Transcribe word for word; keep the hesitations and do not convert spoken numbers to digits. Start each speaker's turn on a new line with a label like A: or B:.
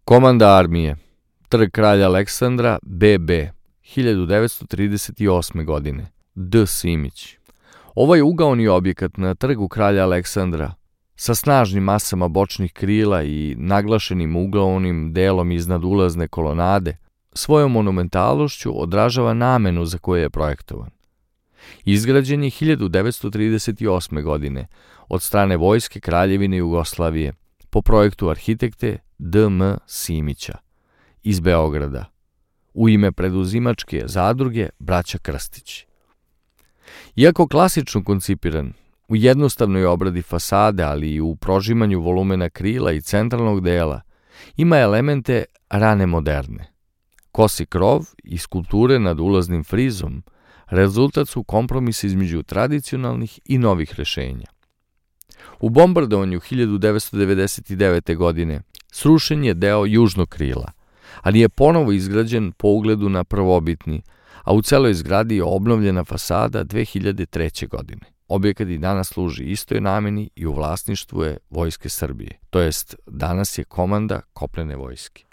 A: Komanda armije, Trg kralja Aleksandra, B B, hiljadu devetsto trideset osme. godine, D. Simić. Ovaj ugaoni objekat na Trgu kralja Aleksandra, sa snažnim masama bočnih krila i naglašenim ugaonim delom iznad ulazne kolonade, svojom monumentalnošću odražava namenu za koju je projektovan. Izgrađen je hiljadu devetsto trideset osme. godine od strane Vojske Kraljevine Jugoslavije po projektu arhitekte D M Simića iz Beograda u ime preduzimačke zadruge Braća Krstić. Iako klasično koncipiran, u jednostavnoj obradi fasade, ali i u prožimanju volumena krila i centralnog dela, ima elemente rane moderne. Kosi krov i skulpture nad ulaznim frizom rezultat su kompromisa između tradicionalnih i novih rešenja. U bombardovanju hiljadu devetsto devedeset devete. godine srušen je deo južnog krila, ali je ponovo izgrađen po ugledu na prvobitni, a u celoj zgradi je obnovljena fasada dve hiljade treće. godine. Objekat i danas služi istoj nameni i u vlasništvu je Vojske Srbije, to jest danas je komanda kopnene vojske.